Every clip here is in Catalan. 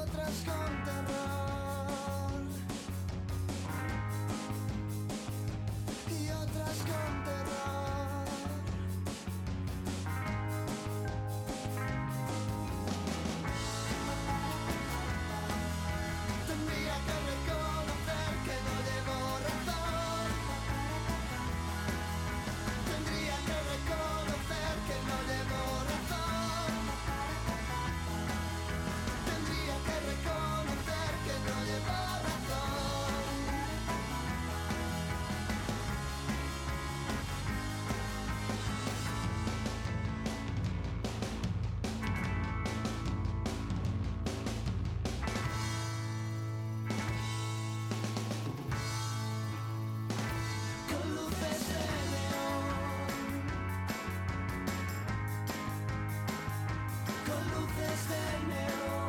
otras con terror, y otras con terror. Tendría que reconocer que no llevo razón. Tendría que reconocer que no llevo razón. Tendría que reconocer que no llevo razón. Con luces de neón, con luces de neón.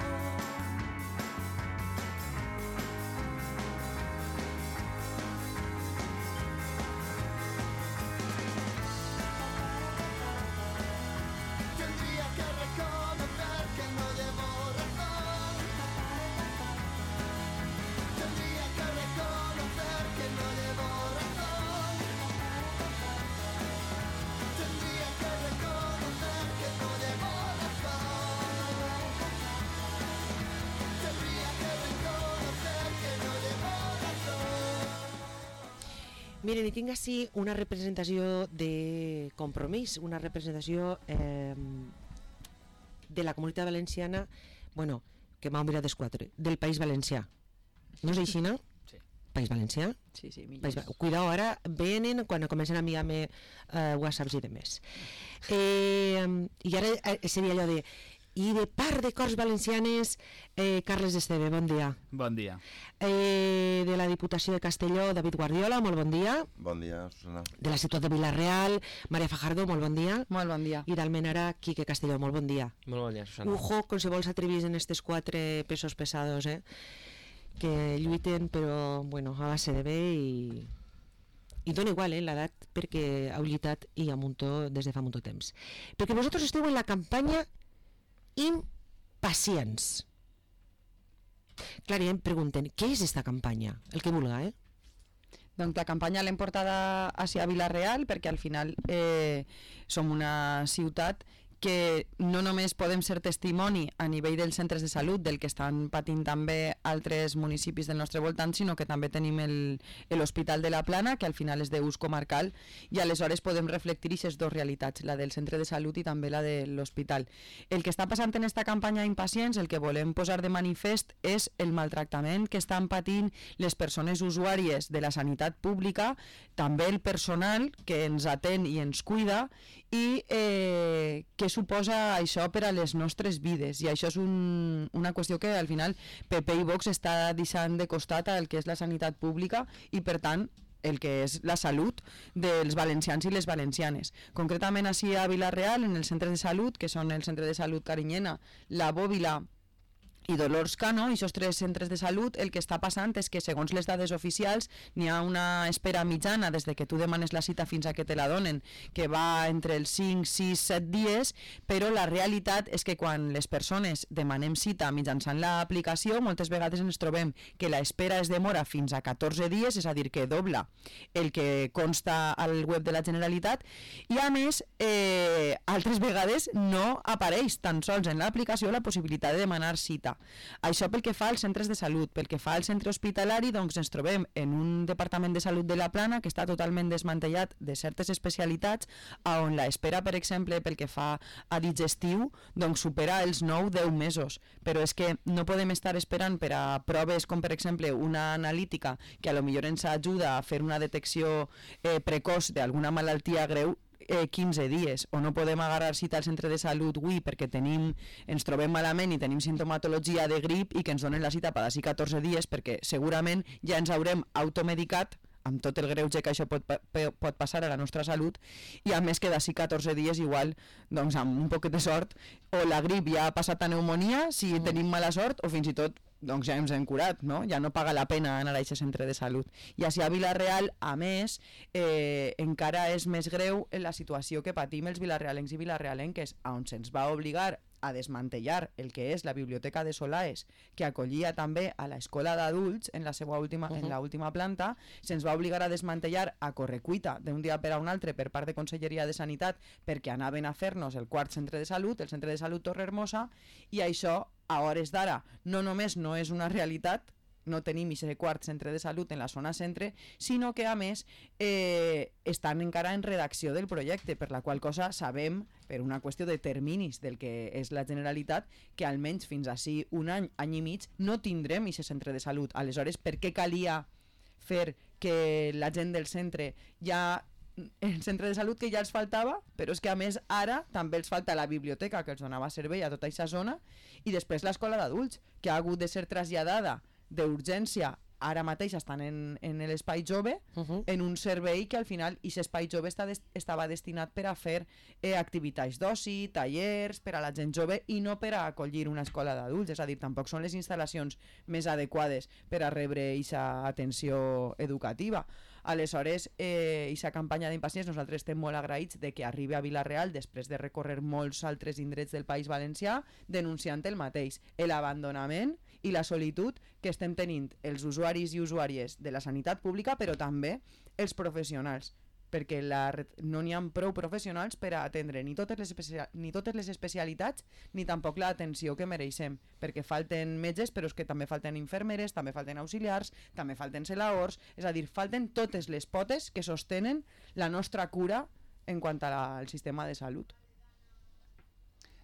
Tendría que reconocer que no llevo razón. Tendría que reconocer que no llevo razón. Tendría que reconocer que no llevo razón. Tendría que reconocer que no llevo razón. Miren, i tinc així una representació de Compromís, una representació de la Comunitat Valenciana, bueno, que m'ha mirat dels quatre, del País Valencià. No és així, no? Sí. País Valencià? Sí, sí, millor. Cuidao, ara venen quan comencen a enviar-me whatsapps i demés. I ara seria allò de... I de part de Corts Valencianes, Carles Esteve, bon dia. Bon dia. De la Diputació de Castelló, David Guardiola, molt bon dia. Bon dia, Susana. De la ciutat de Vila-real, Maria Fajardo, molt bon dia. Molt bon dia. I d'Almenara, Quique Castelló, molt bon dia. Molt bon dia, Susana. Ujo, con si vols atrevís en estos quatre pesos pesados, que lluiten, però, bueno, a base de bé i dona igual, l'edat, perquè heu lluitat i a muntó des de fa molt temps. Perquè vosaltres esteu en la campanya Impacients. Clar, ja em pregunten, què és esta campanya? El que vulga, Doncs la campanya l'hem portada hacia Vila-real perquè al final som una ciutat que no només podem ser testimoni a nivell dels centres de salut del que estan patint també altres municipis del nostre voltant, sinó que també tenim l'Hospital de la Plana, que al final és d'ús comarcal, i aleshores podem reflectir aquestes dues realitats, la del centre de salut i també la de l'hospital. El que està passant en esta campanya Impacients, el que volem posar de manifest és el maltractament que estan patint les persones usuàries de la sanitat pública, també el personal que ens atén i ens cuida, i què suposa això per a les nostres vides. I això és una qüestió que al final PP i Vox està deixant de costat al que és la sanitat pública i per tant el que és la salut dels valencians i les valencianes. Concretament així a Vila-real, en els centres de salut, que són el centre de salut Carinyena, la Bòbila i Dolors Cano, i aquests tres centres de salut, el que està passant és que segons les dades oficials n'hi ha una espera mitjana des de que tu demanes la cita fins a que te la donen, que va entre els 5, 6, 7 dies, però la realitat és que quan les persones demanem cita mitjançant l'aplicació, moltes vegades ens trobem que l'espera es demora fins a 14 dies, és a dir, que dobla el que consta al web de la Generalitat, i a més, altres vegades no apareix tan sols en l'aplicació la possibilitat de demanar cita. Això pel que fa als centres de salut. Pel que fa al centre hospitalari, doncs ens trobem en un departament de salut de la Plana que està totalment desmantellat de certes especialitats, on l'espera, per exemple, pel que fa a digestiu, doncs supera els 9-10 mesos. Però és que no podem estar esperant per a proves com, per exemple, una analítica que a lo millor ens ajuda a fer una detecció precoç d'alguna malaltia greu 15 dies, o no podem agarrar cita al centre de salut avui perquè ens trobem malament i tenim sintomatologia de grip i que ens donen la cita per d'ací 14 dies perquè segurament ja ens haurem automedicat amb tot el greuge que això pot passar a la nostra salut, i a més que d'ací 14 dies igual, doncs amb un poquet de sort, o la grip ja ha passat a pneumonia si tenim mala sort, o fins i tot doncs ja ens hem curat, no? Ja no paga la pena anar a aquest centre de salut. I així a Vila-real, a més, encara és més greu la situació que patim els vilarealencs i vilarealenques, on se'ns va obligar a desmantellar el que és la biblioteca de Solaes, que acollia també a l'escola d'adults en la seva última, en la última planta, se'ns va obligar a desmantellar a correcuita d'un dia per a un altre per part de Conselleria de Sanitat perquè anaven a fer-nos el quart centre de salut, el centre de salut Torrehermosa, i això a hores d'ara no només no és una realitat, no tenim aquest quart centre de salut en la zona centre, sinó que a més estan encara en redacció del projecte, per la qual cosa sabem, per una qüestió de terminis del que és la Generalitat, que almenys fins així un any, any i mig, no tindrem aquest centre de salut. Aleshores, per què calia fer que la gent del centre ja el centre de salut que ja els faltava, però és que a més ara també els falta la biblioteca que els donava servei a tota aquesta zona, i després l'escola d'adults, que ha hagut de ser traslladada d'urgència, ara mateix estan en l'espai jove, en un servei que al final aquest espai jove estava destinat per a fer activitats d'oci, tallers per a la gent jove i no per a acollir una escola d'adults, és a dir, tampoc són les instal·lacions més adequades per a rebre aquesta atenció educativa. Aleshores, aquesta campanya d'impacients nosaltres estem molt agraïts de que arribi a Vila-real després de recórrer molts altres indrets del País Valencià denunciant el mateix, l'abandonament i la solitud que estem tenint els usuaris i usuàries de la sanitat pública, però també els professionals, perquè no n'hi ha prou professionals per a atendre ni totes les especialitats ni tampoc l'atenció que mereixem, perquè falten metges, però és que també falten infermeres, també falten auxiliars, també falten celaors, és a dir, falten totes les potes que sostenen la nostra cura en quant al sistema de salut.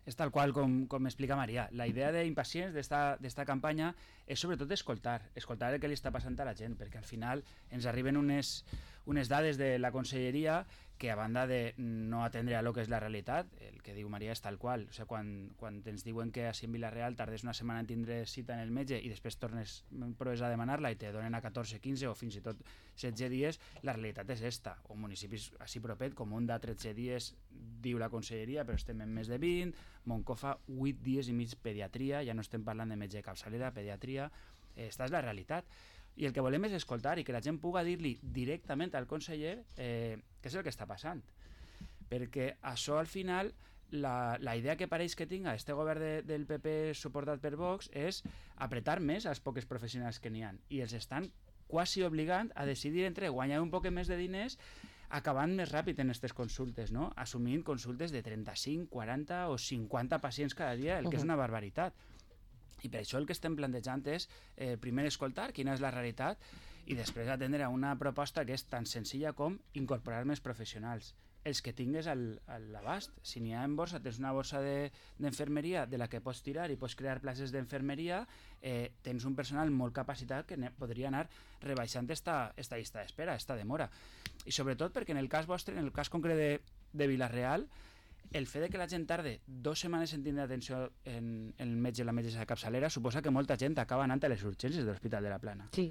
És tal qual com explica Maria. La idea d'Impacients d'esta campanya és sobretot escoltar el que li està passant a la gent, perquè al final ens arriben unes dades de la conselleria que a banda de no atendre a lo que és la realitat, el que diu Maria és tal qual. O sigui, quan ens diuen que a Vila-real tardes una setmana en tindre cita en el metge i després proves a demanar-la i te donen a 14, 15 o fins i tot 16 dies, la realitat és esta. O municipis així propet, com Onda 13 dies diu la conselleria, però estem en més de 20, Moncofa 8 dies i mig pediatria, ja no estem parlant de metge de capçalera, pediatria, esta és la realitat. I el que volem és escoltar i que la gent puga dir-li directament al conseller què és el que està passant. Perquè això al final, la idea que pareix que tinga este govern del PP suportat per Vox és apretar més als pocs professionals que n'hi ha. I els estan quasi obligant a decidir entre guanyar un poc més de diners acabant més ràpid en aquestes consultes, no? Assumint consultes de 35, 40 o 50 pacients cada dia, el que és una barbaritat. I per això el que estem plantejant és primer escoltar quina és la realitat i després atendre a una proposta que és tan senzilla com incorporar més professionals, els que tingues a l'abast. Si n'hi ha en borsa, tens una borsa d'enfermeria de la que pots tirar i pots crear places d'enfermeria, tens un personal molt capacitat que podria anar rebaixant esta llista d'espera, esta demora. I sobretot perquè en el cas vostre, en el cas concret de Vila-real, el fet de que la gent tarde 2 setmanes en tindre atenció en el metge o la metgessa de capçalera suposa que molta gent acaba anant a les urgències de l'Hospital de la Plana. Sí.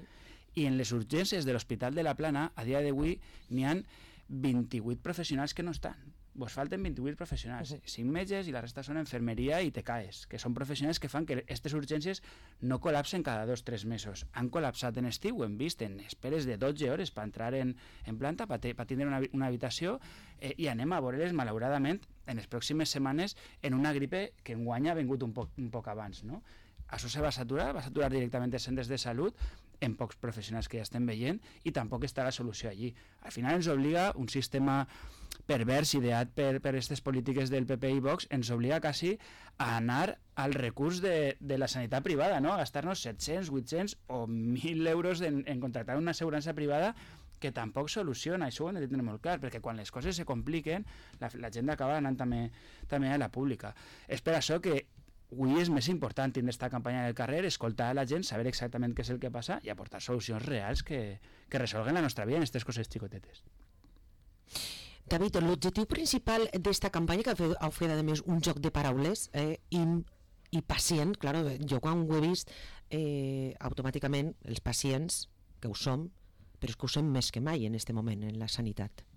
I en les urgències de l'Hospital de la Plana, a dia d'avui, n'hi ha 28 professionals que no estan. Vos falten 28 professionals, 5 metges i la resta són enfermeria i TCAEs, que són professionals que fan que aquestes urgències no col·lapsen cada 2 o 3 mesos. Han col·lapsat en estiu, hem vist, en esperes de 12 hores per entrar en planta, per tindre una habitació, i anem a veure-les, malauradament, en les pròximes setmanes, en una gripe que enguany ha vingut un poc abans, no? Això se va saturar directament els centres de salut en pocs professionals que ja estem veient i tampoc està la solució allí. Al final ens obliga un sistema pervers ideat per aquestes polítiques del PP i Vox, ens obliga quasi a anar al recurs de la sanitat privada, no? A gastar-nos 700, 800 o 1.000 euros en contractar una assegurança privada que tampoc soluciona, això ho hem de tenir molt clar, perquè quan les coses se compliquen, la gent acaba anant també a la pública. És per això que avui és més important tindre aquesta campanya del carrer, escoltar a la gent, saber exactament què és el que passa i aportar solucions reals que resolguen la nostra vida en aquestes coses xicotetes. David, l'objectiu principal d'esta campanya, que heu fet a més un joc de paraules, i pacient, clar, jo quan ho he vist, automàticament els pacients, que ho som, però és que ho som més que mai en aquest moment en la sanitat.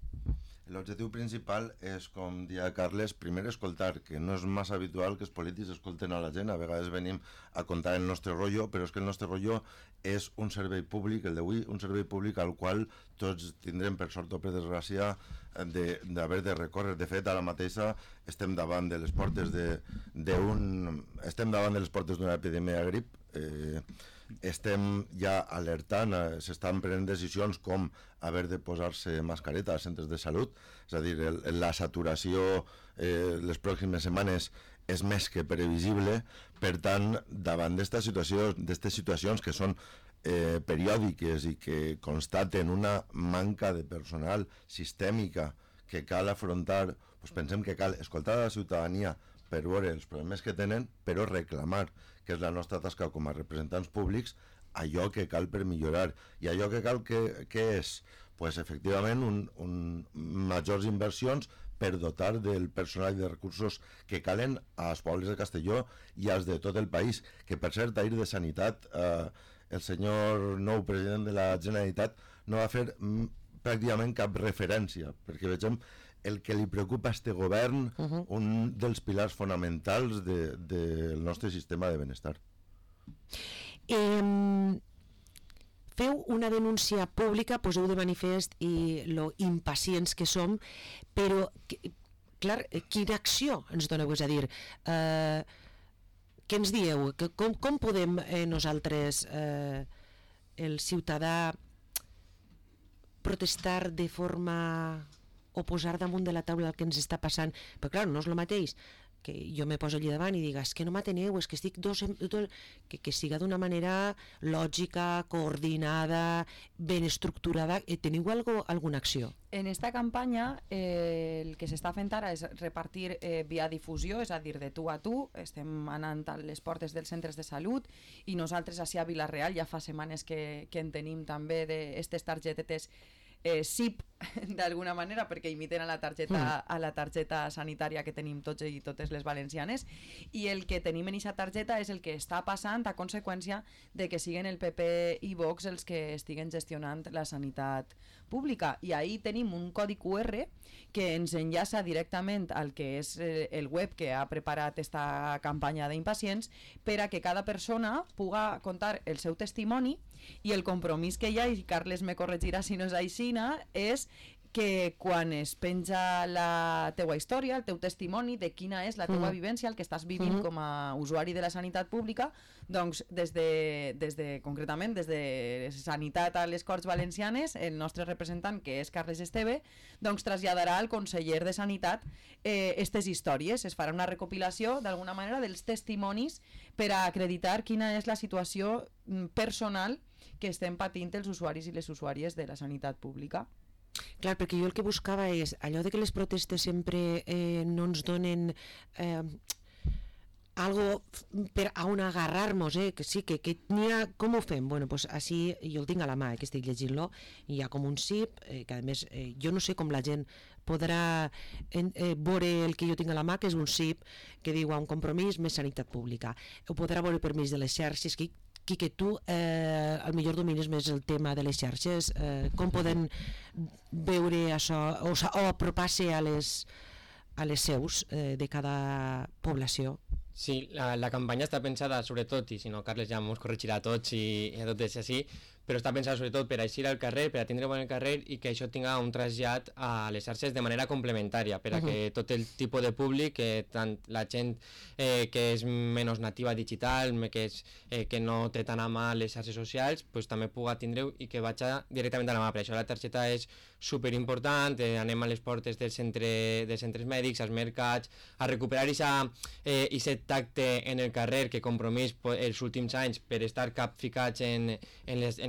L'objectiu principal és, com deia Carles, primer escoltar, que no és massa habitual que els polítics escolten a la gent, a vegades venim a contar el nostre rotllo, però és que el nostre rotllo és un servei públic, el d'avui, un servei públic al qual tots tindrem, per sort o per desgràcia, d'haver de recórrer. De fet, ara mateixa estem davant de les portes d'una epidèmia de grip. Estem ja alertant, s'estan prenent decisions com haver de posar-se mascareta als centres de salut, és a dir, la saturació les pròximes setmanes és més que previsible. Per tant, davant d'aquestes situacions que són periòdiques i que constaten una manca de personal sistèmica que cal afrontar, doncs pensem que cal escoltar a la ciutadania per veure els problemes que tenen, però reclamar, que és la nostra tasca com a representants públics, allò que cal per millorar. I allò que cal que és, pues, efectivament, majors inversions per dotar del personal i de recursos que calen als pobles de Castelló i als de tot el país. Que, per cert, ahir de Sanitat, el senyor nou president de la Generalitat no va fer pràcticament cap referència, perquè vegem el que li preocupa a este govern, un dels pilars fonamentals del nostre sistema de benestar. Feu una denúncia pública, poseu de manifest i lo impacients que som, però, clar, quina acció ens doneu? És a dir, què ens dieu? Com podem nosaltres, el ciutadà, protestar de forma o posar damunt de la taula el que ens està passant? Però clar, no és el mateix que jo me poso allí davant i diga, és que no m'ateneu, és que estic que siga d'una manera lògica, coordinada, ben estructurada. Teniu alguna acció? En esta campanya el que s'està fent ara és repartir via difusió, és a dir, de tu a tu. Estem anant a les portes dels centres de salut i nosaltres ací a Vila-real ja fa setmanes que en tenim també d'aquestes targetetes SIP, d'alguna manera, perquè imiten a la targeta sanitària que tenim tots i totes les valencianes, i el que tenim en aquesta targeta és el que està passant a conseqüència de que siguen el PP i Vox els que estiguen gestionant la sanitat pública. I ahí tenim un codi QR que ens enllaça directament al que és el web que ha preparat esta campanya d'impacients per a que cada persona puga contar el seu testimoni, i el compromís que hi ha, i Carles me corregirà si no és aixina, és que quan es penja la teua història, el teu testimoni de quina és la teua vivència, el que estàs vivint com a usuari de la sanitat pública, doncs concretament des de Sanitat a les Corts Valencianes, el nostre representant, que és Carles Esteve, doncs traslladarà al conseller de Sanitat aquestes històries. Es farà una recopilació d'alguna manera dels testimonis per a acreditar quina és la situació personal que estem patint els usuaris i les usuàries de la sanitat pública. Clar, perquè jo el que buscava és allò de que les protestes sempre no ens donen algo per a on agarrar-nos, que sí, que n'hi ha... Com ho fem? Bueno, pues així jo el tinc a la mà, que estic llegint-lo, i hi ha com un SIP, que a més jo no sé com la gent podrà veure el que jo tinc a la mà, que és un SIP que diu a un compromís més sanitat pública. Ho podrà veure per mig de les xarxes, que tu al millor domines més el tema de les xarxes, com poden veure això o apropar-se a les seus de cada població? Sí, la campanya està pensada sobretot, i si no Carles ja ens corregirà a tots i a tot és així, però està pensada sobretot per eixir al carrer, per a tindre bon el carrer i que això tinga un trasllat a les xarxes de manera complementària, per a que tot el tipus de públic, tant la gent que és menys nativa digital, que no té tan a mà les xarxes socials, pues, també puga tindre-ho i que vagi directament a la mà. Per això la targeta és superimportant, anem a les portes dels centres mèdics, als mercats, a recuperar aquest tacte en el carrer que Compromís els últims anys per estar capficats en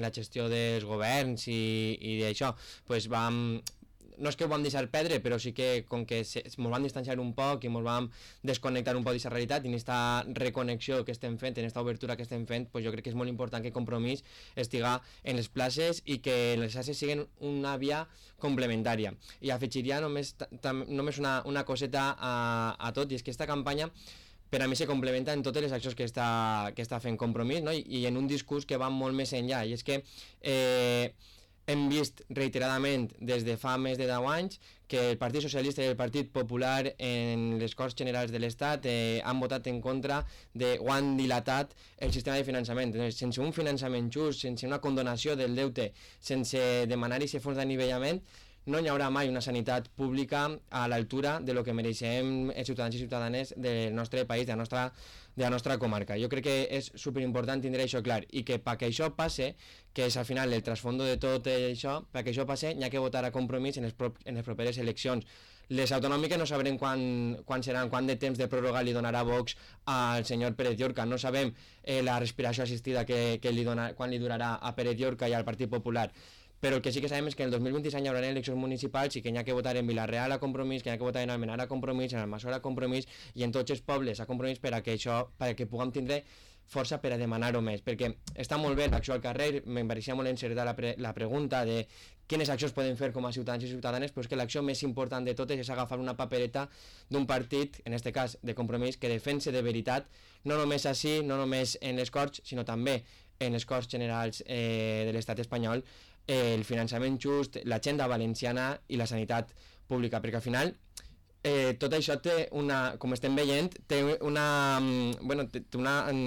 la gestió dels governs i d'això, pues no és que ho vam deixar perdre, però sí que com que ens vam distanciar un poc i ens vam desconnectar un poc d'aquesta realitat, i en aquesta reconnexió que estem fent, en aquesta obertura que estem fent, pues jo crec que és molt important que Compromís estiga en les places i que les xarxes siguin una via complementària. I afegiria només una coseta a tot, i és que aquesta campanya per a mi se complementa en totes les accions que està fent Compromís, no? I en un discurs que va molt més enllà, i és que hem vist reiteradament des de fa més de 10 anys que el Partit Socialista i el Partit Popular en les Corts Generals de l'Estat han votat en contra o han dilatat el sistema de finançament. Sense un finançament just, sense una condonació del deute, sense demanar aquest fons d'anivellament, no hi haurà mai una sanitat pública a l'altura de lo que mereixem els ciutadans i ciutadanes del nostre país, de la nostra comarca. Jo crec que és superimportant tindre això clar i que perquè això passe, que és al final el trasfondo de tot això, perquè això passe n'hi ha que votar a Compromís en les properes eleccions. Les autonòmiques no sabrem quan seran, quant de temps de pròrroga li donarà Vox al senyor Pérez Llorca, no sabem la respiració assistida quan li durarà a Pérez Llorca i al Partit Popular. Però el que sí que sabem és que el 2026 hi haurà eleccions municipals i que n'hi ha que votar en Vila-real a Compromís, que n'hi ha que votar en Almenar a Compromís, en Almassora a Compromís i en tots els pobles a Compromís perquè puguem tindre força per a demanar-ho més, perquè està molt bé l'acció al carrer, em pareixia molt encertada la pregunta de quines accions podem fer com a ciutadans i ciutadanes, però és que l'acció més important de totes és agafar una papereta d'un partit, en aquest cas de Compromís, que defense de veritat, no només així, no només en les Corts, sinó també en les Corts Generals de l'Estat espanyol, el finançament just, l'agenda valenciana i la sanitat pública, perquè al final tot això té com estem veient, té una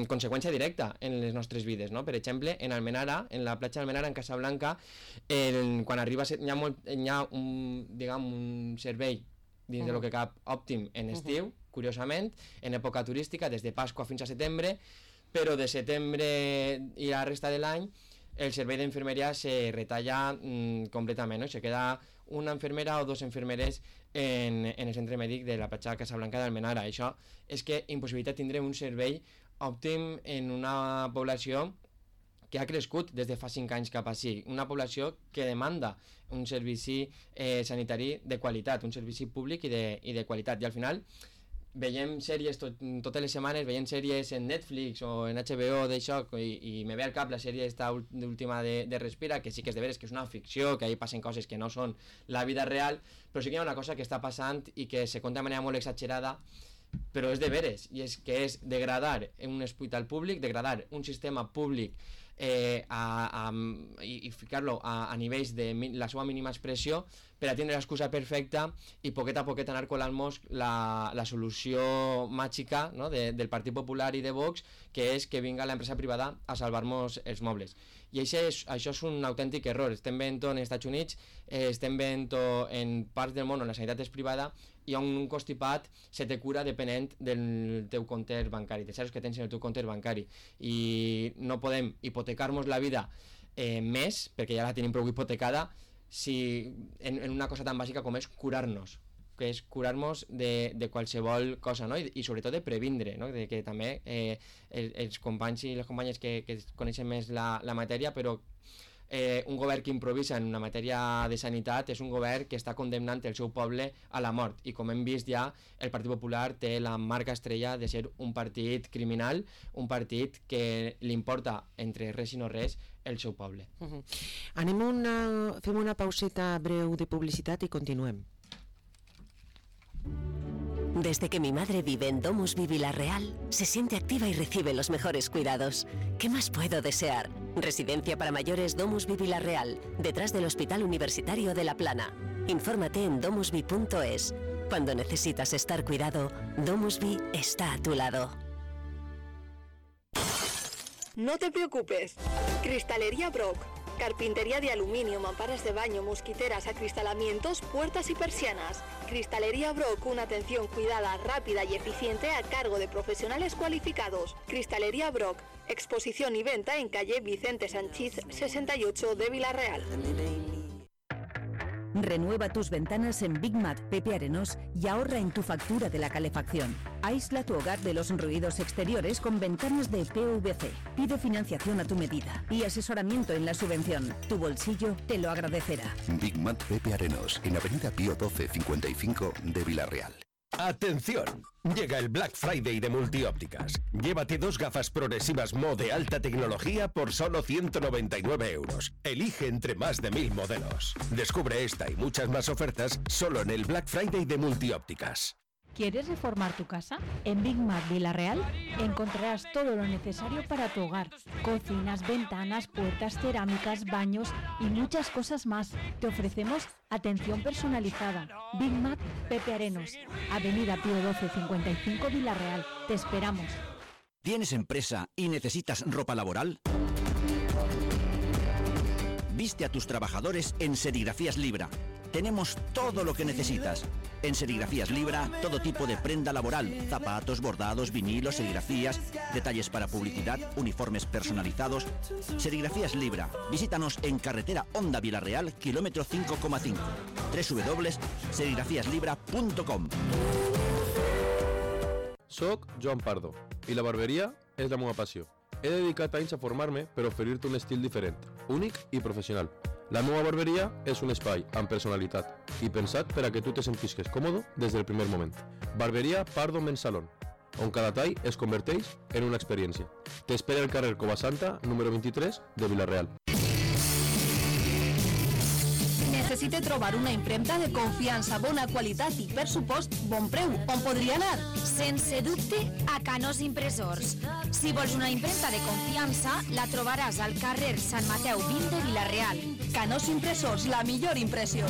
conseqüència directa en les nostres vides, no? Per exemple, en Almenara, en la platja d'Almenara, en Casablanca, quan arriba hi ha un servei dins de lo que cap òptim en estiu, curiosament, en època turística, des de Pasqua fins a setembre, però de setembre i la resta de l'any el servei d'infermeria se retalla completament, no? Se queda una infermera o dos infermeres en el centre mèdic de la platja de Casablanca d'Almenara. Això és que impossibilita tindre un servei òptim en una població que ha crescut des de fa 5 anys cap així, una població que demanda un servici sanitari de qualitat, un servici públic i de qualitat, i al final veiem sèries totes les setmanes, veiem sèries en Netflix o en HBO d'això, i me ve al cap la sèrie esta última de Respira, que sí que és de veres que és una ficció, que ahí passen coses que no són la vida real, però sí que hi ha una cosa que està passant i que se conta de manera molt exagerada, però és de veres, i és que és degradar un hospital públic, degradar un sistema públic i ficar-lo a nivells de la seva mínima expressió per a tindre l'excusa perfecta i poquet a poquet anar colant-nos la solució màgica, no? del Partit Popular i de Vox, que és que vinga l'empresa privada a salvar-nos els mobles. I això és un autèntic error. Estem veient-ho als Estats Units, estem veient-ho en parts del món on la sanitat és privada i on un constipat se te cura depenent del teu compte bancari, dels zeros que tens en el teu compte bancari. I no podem hipotecar-nos la vida més, perquè ja la tenim prou hipotecada, en una cosa tan bàsica com és curar-nos, que és curar-nos de qualsevol cosa, no? I sobretot de previndre, no? De que també els companys i les companyes que coneixen més la matèria, però un govern que improvisa en una matèria de sanitat és un govern que està condemnant el seu poble a la mort, i com hem vist ja, el Partit Popular té la marca estrella de ser un partit criminal, un partit que li importa entre res i no res el seu poble. Fem una pauseta breu de publicitat i continuem. Desde que mi madre vive en Domusvi Vila-real, se siente activa y recibe los mejores cuidados. ¿Qué más puedo desear? Residencia para mayores Domusvi Vila-real, detrás del Hospital Universitario de La Plana. Infórmate en domusvi.es. Cuando necesitas estar cuidado, Domusvi está a tu lado. No te preocupes. Cristalería Brock. Carpintería de aluminio, mamparas de baño, mosquiteras, acristalamientos, puertas y persianas. Cristalería Brock, una atención cuidada, rápida y eficiente a cargo de profesionales cualificados. Cristalería Brock, exposición y venta en calle Vicente Sanchís 68 de Vila-real. Renueva tus ventanas en Big Mat Pepe Arenós y ahorra en tu factura de la calefacción. Aísla tu hogar de los ruidos exteriores con ventanas de PVC. Pide financiación a tu medida y asesoramiento en la subvención. Tu bolsillo te lo agradecerá. Big Mat Pepe Arenós, en Avenida Pío 12 55 de Vila-real. ¡Atención! Llega el Black Friday de Multiópticas. Llévate 2 gafas progresivas Mo de alta tecnología por solo 199 €. Elige entre más de 1000 modelos. Descubre esta y muchas más ofertas solo en el Black Friday de Multiópticas. ¿Quieres reformar tu casa? En Big Mat Vila-real encontrarás todo lo necesario para tu hogar. Cocinas, ventanas, puertas, cerámicas, baños y muchas cosas más. Te ofrecemos atención personalizada. Big Mat Pepe Arenós, Avenida Pío 12 55 Vila-real. Te esperamos. ¿Tienes empresa y necesitas ropa laboral? Viste a tus trabajadores en Serigrafías Libra. tenemos todo lo que necesitas. En Serigrafías Libra, todo tipo de prenda laboral, zapatos, bordados, vinilos, serigrafías, detalles para publicidad, uniformes personalizados. Serigrafías Libra, visítanos en carretera Honda Vilareal, kilómetro 5,5. www.serigrafiaslibra.com. Soc Joan Pardo i la barberia és la meva passió. He dedicat anys a formar-me per oferir-te un estil diferent, únic i professional. La meva barberia és un espai amb personalitat i pensat per a que tu te sentisques còmode des del primer moment. Barberia Pardo Men's Salon, on cada tall es converteix en una experiència. T'espera al carrer Covasanta, número 23, de Vilareal. Necessite trobar una impremta de confiança, bona qualitat i, per supost, bon preu. On podria anar? Sense dubte, a Canós Impressors. Si vols una impremta de confiança, la trobaràs al carrer Sant Mateu 20 de Vilareal. Canós Impressors, la millor impressió.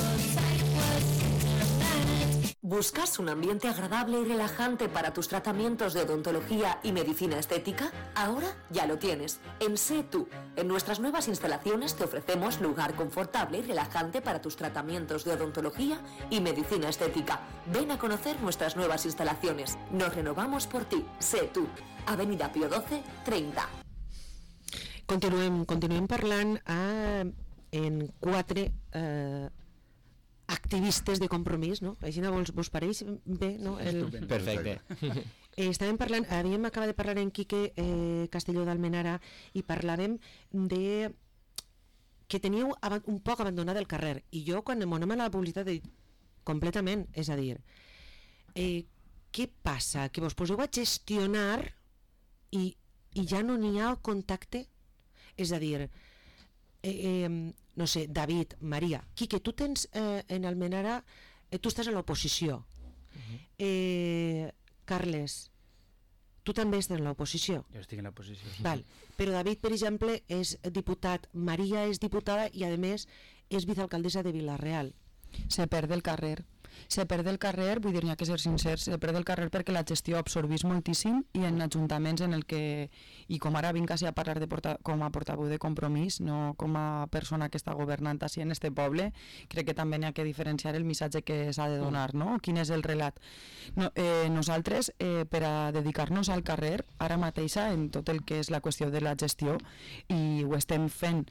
¿Buscas un ambiente agradable y relajante para tus tratamientos de odontología y medicina estética? Ahora ya lo tienes. En Sé Tú. En nuestras nuevas instalaciones te ofrecemos lugar confortable y relajante para tus tratamientos de odontología y medicina estética. Ven a conocer nuestras nuevas instalaciones. Nos renovamos por ti. Sé Tú. Avenida Pío XII, 30. Continuem parlant en 4 activistes de compromís, no? Així vos pareix bé, no? Perfecte. Havíem acabat de parlar en Quique Castelló d'Almenara i parlàvem de que teníeu un poc abandonat el carrer, i jo quan em anem a la publicitat he dit completament, és a dir, què passa? Que vos poseu a gestionar i ja no n'hi ha contacte? És a dir, no sé, David, Maria, Quique, tu tens en Almenara, tu estàs a l'oposició. Carles, tu també estàs en l'oposició. Jo estic en l'oposició. Val. Però David, per exemple, és diputat, Maria és diputada i, a més, és vicealcaldessa de Vilareal. Se perd el carrer. Se perd el carrer, vull dir, n'hi ha que ser sincers, se perd el carrer perquè la gestió absorbís moltíssim i en ajuntaments en el que, i com ara vinc a parlar com a portaveu de Compromís, no com a persona que està governant així en este poble, crec que també n'hi ha que diferenciar el missatge que s'ha de donar, no? Quin és el relat. Nosaltres, per a dedicar-nos al carrer, ara mateixa, en tot el que és la qüestió de la gestió, i ho estem fent,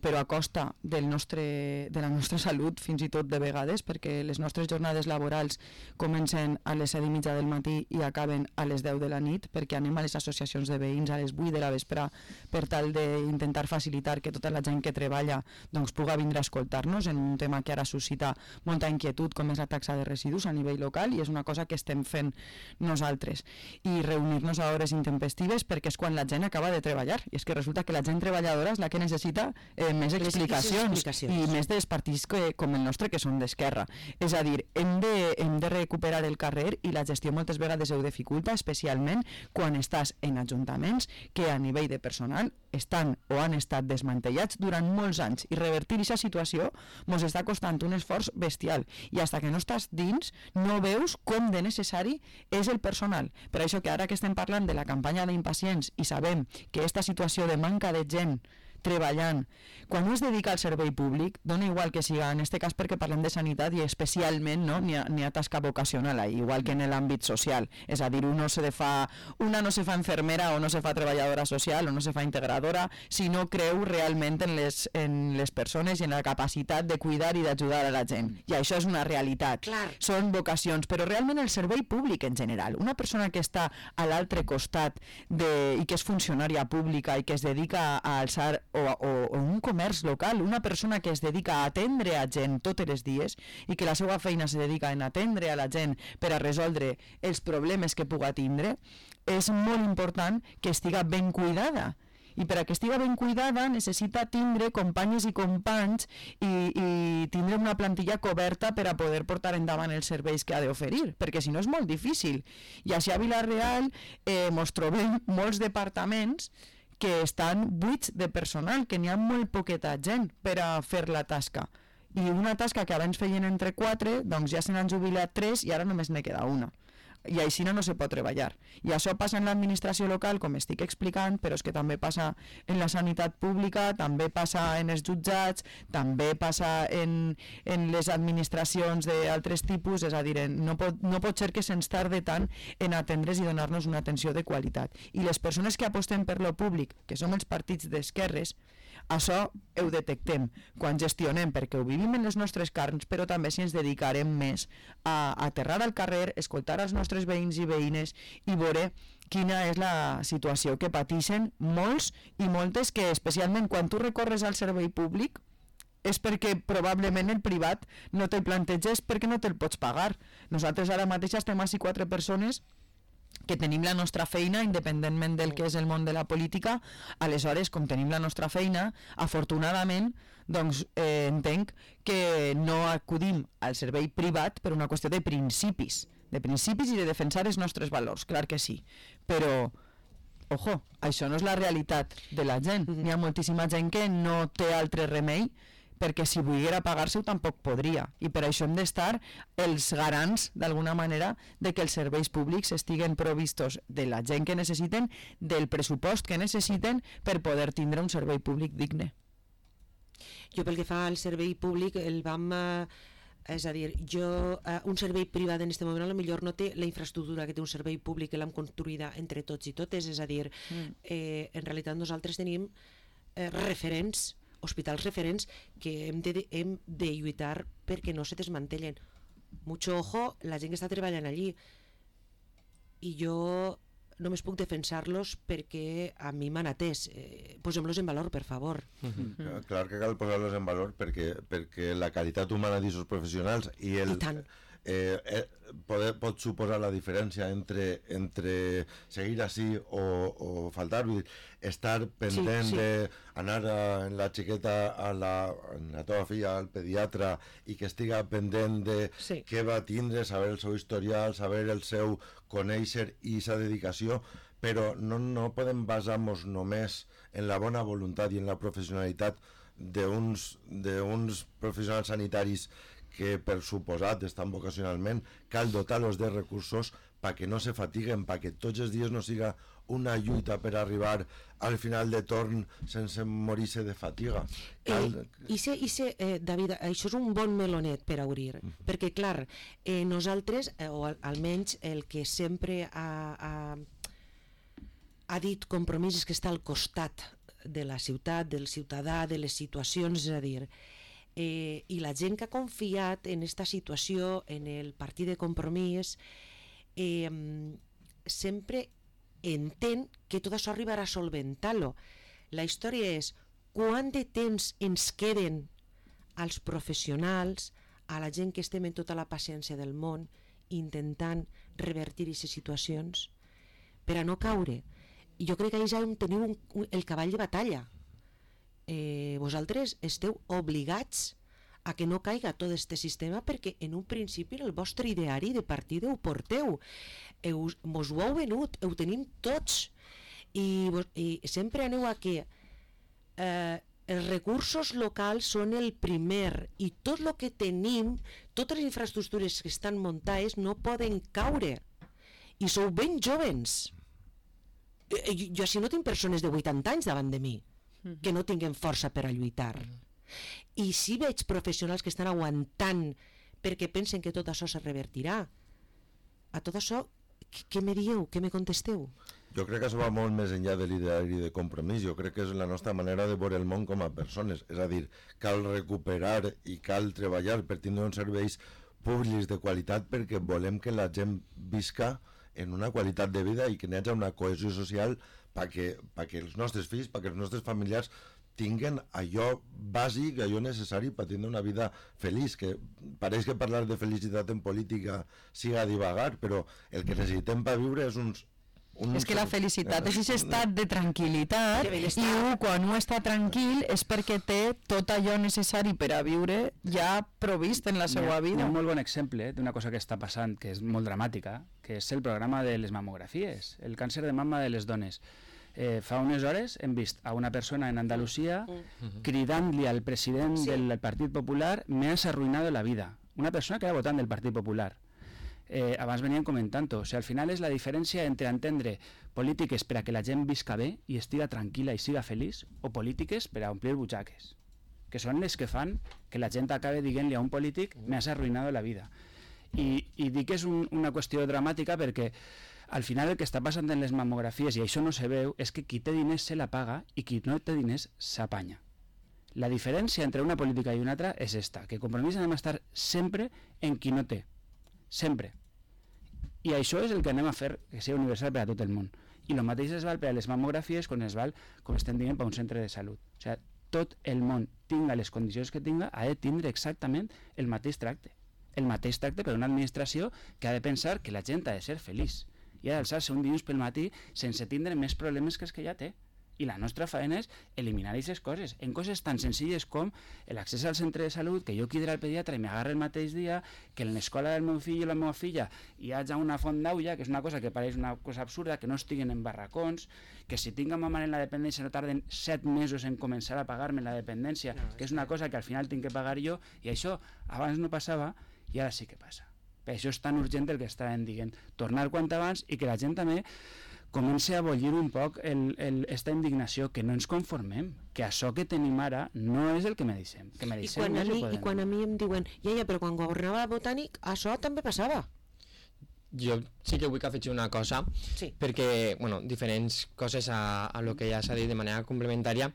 però a costa de la nostra salut, fins i tot de vegades, perquè les nostres jornades laborals comencen a les 7:30 del matí i acaben a les 10 de la nit, perquè anem a les associacions de veïns a les 8 de la vespre per tal d'intentar facilitar que tota la gent que treballa doncs, pugui vindre a escoltar-nos en un tema que ara suscita molta inquietud, com és la taxa de residus a nivell local, i és una cosa que estem fent nosaltres. I reunir-nos a hores intempestives perquè és quan la gent acaba de treballar, i és que resulta que la gent treballadora és la que necessita més explicacions i més dels partits com el nostre, que són d'esquerra. És a dir, hem de recuperar el carrer, i la gestió moltes vegades ho dificulta, especialment quan estàs en ajuntaments que a nivell de personal estan o han estat desmantellats durant molts anys, i revertir aquesta situació ens està costant un esforç bestial, i fins que no estàs dins no veus com de necessari és el personal. Per això que ara que estem parlant de la campanya d'impacients i sabem que aquesta situació de manca de gent treballant, quan no es dedica al servei públic, dona igual que siga, en aquest cas perquè parlem de sanitat i especialment n'hi ha tasca vocacional ahí, igual que en l'àmbit social, és a dir, una no se fa infermera o no se fa treballadora social o no se fa integradora si no creu realment en les persones i en la capacitat de cuidar i d'ajudar a la gent, i això és una realitat. Són vocacions, però realment el servei públic en general, una persona que està a l'altre costat i que és funcionària pública i que es dedica a alçar o un comerç local, una persona que es dedica a atendre a gent tots els dies i que la seva feina se dedica a atendre a la gent per a resoldre els problemes que puga tindre, és molt important que estiga ben cuidada. I per a que estiga ben cuidada necessita tindre companyes i companys i tindre una plantilla coberta per a poder portar endavant els serveis que ha d'oferir, perquè si no és molt difícil. I així a Vilareal ens trobem molts departaments que estan buits de personal, que n'hi ha molt poqueta gent per a fer la tasca. I una tasca que abans feien entre 4, doncs ja se n'han jubilat 3 i ara només ne queda una. i així no se pot treballar. I això passa en l'administració local, com estic explicant, però és que també passa en la sanitat pública, també passa en els jutjats, també passa en les administracions d'altres tipus, és a dir, no pot ser que se'ns tarde tant en atendre's i donar-nos una atenció de qualitat. I les persones que apostem per lo públic, que som els partits d'esquerres, això ho detectem quan gestionem, perquè ho vivim en les nostres carns, però també si ens dedicarem més a aterrar al carrer, escoltar els nostres veïns i veïnes i veure quina és la situació que pateixen molts i moltes, que especialment quan tu recorres al servei públic és perquè probablement el privat no te'l planteges perquè no te'l pots pagar. Nosaltres ara mateix estem així 4 persones que tenim la nostra feina independentment del que és el món de la política. Aleshores, com tenim la nostra feina, afortunadament, doncs entenc que no acudim al servei privat per una qüestió de principis i de defensar els nostres valors, clar que sí, però ojo, això no és la realitat de la gent. N'hi ha moltíssima gent que no té altre remei, perquè si volguera pagar-se-ho tampoc podria, i per això hem d'estar els garants, d'alguna manera, de que els serveis públics estiguen provistos de la gent que necessiten, del pressupost que necessiten per poder tindre un servei públic digne. Jo pel que fa al servei públic el vam... és a dir, un servei privat en aquest moment potser no té la infraestructura que té un servei públic, que l'hem construïda entre tots i totes, és a dir, en realitat nosaltres tenim referents, hospitals referents que hem de lluitar perquè no se desmantellen. Mucho ojo la gent que està treballant allí, i jo només puc defensar-los perquè a mi m'han atès. Posem-los en valor, per favor. Clar que cal posar-los en valor perquè la qualitat humana d'aquests professionals i el... pot suposar la diferència entre seguir així o faltar, vull dir, estar pendent d'anar en la xiqueta a la teva filla al pediatre i que estiga pendent de què va tindre, saber el seu historial, saber el seu conèixer i sa dedicació, però no podem basar-nos només en la bona voluntat i en la professionalitat d'uns professionals sanitaris que per suposat estan vocacionalment. Cal dotar-los de recursos perquè no se fatiguen, perquè tots els dies no siga una lluita per arribar al final de torn sense morir-se de fatiga. David, això és un bon melonet per obrir, perquè clar, nosaltres, o almenys el que sempre ha dit Compromís, és que està al costat de la ciutat, del ciutadà, de les situacions, és a dir, i la gent que ha confiat en aquesta situació, en el partit de Compromís, sempre entén que tot això arribarà a solventar-lo. La història és quant de temps ens queden als professionals, a la gent que estem en tota la paciència del món, intentant revertir aquestes situacions per a no caure. I jo crec que ja teniu el cavall de batalla. Vosaltres esteu obligats a que no caiga tot aquest sistema, perquè en un principi en el vostre ideari de partida ho porteu, mos ho heu venut, ho tenim tots, i sempre aneu a que els recursos locals són el primer, i tot el que tenim, totes les infraestructures que estan muntades no poden caure, i sou ben jovens. Jo així no tinc persones de 80 anys davant de mi que no tinguin força per a lluitar, i si veig professionals que estan aguantant perquè pensen que tot això se revertirà. A tot això, què me dieu? Què me contesteu? Jo crec que això va molt més enllà de l'ideari de Compromís. Jo crec que és la nostra manera de veure el món com a persones, és a dir, cal recuperar i cal treballar per tindre uns serveis públics de qualitat, perquè volem que la gent visca en una qualitat de vida i que n'hi hagi una cohesió social perquè els nostres fills, perquè els nostres familiars tinguen allò bàsic, allò necessari per tindre una vida feliç, que pareix que parlar de felicitat en política siga divagar, però el que necessitem per viure és és que la felicitat és aquest estat de tranquil·litat, i quan un està tranquil és perquè té tot allò necessari per a viure ja provist en la seva vida. Un molt bon exemple d'una cosa que està passant, que és molt dramàtica, que és el programa de les mamografies, el càncer de mama de les dones. Fa unes hores hem vist a una persona en Andalusia cridant-li al president del Partit Popular: me has arruinado la vida. Una persona que era votant del Partit Popular. abans venien comentant-ho, o sigui, al final és la diferència entre entendre polítiques per a que la gent visca bé i estiga tranquil·la i siga feliç, o polítiques per a omplir butxaques, que són les que fan que la gent acabe dient-li a un polític me has arruïnado la vida. I dic que és una qüestió dramàtica perquè al final el que està passant en les mamografies, i això no se veu, és que qui té diners se la paga i qui no té diners s'apanya. La diferència entre una política i una altra és esta, que Compromís anem a estar sempre en qui no té. Sempre. I això és el que anem a fer que sigui universal per a tot el món. I el mateix es val per a les mamografies com es val, com estem dient, per a un centre de salut. O sigui, tot el món tinga les condicions que tinga, ha de tindre exactament el mateix tracte. El mateix tracte per a una administració que ha de pensar que la gent ha de ser feliç i ha d'alçar-se un dilluns pel matí sense tindre més problemes que els que ja té. I la nostra feina és eliminar aquestes coses, en coses tan senzilles com l'accés al centre de salut, que jo quidre al pediatre i m'agarre el mateix dia, que en l'escola del meu fill o la meva filla hi hagi una font d'aula, que és una cosa que pareix una cosa absurda, que no estiguen en barracons, que si tinc a ma mare en la dependència no tarden 7 mesos en començar a pagar-me la dependència, que és una cosa que al final tinc que pagar jo, i això abans no passava i ara sí que passa. Per això és tan urgent el que estàvem dient, tornar quant abans i que la gent també comença a bollir un poc esta indignació, que no ens conformem, que això que tenim ara no és el que mereixem. I quan a mi em diuen, però quan governava Botànic, això també passava. Jo sí que vull que afegir una cosa, sí. Perquè, diferents coses a lo que ja s'ha dit de manera complementària.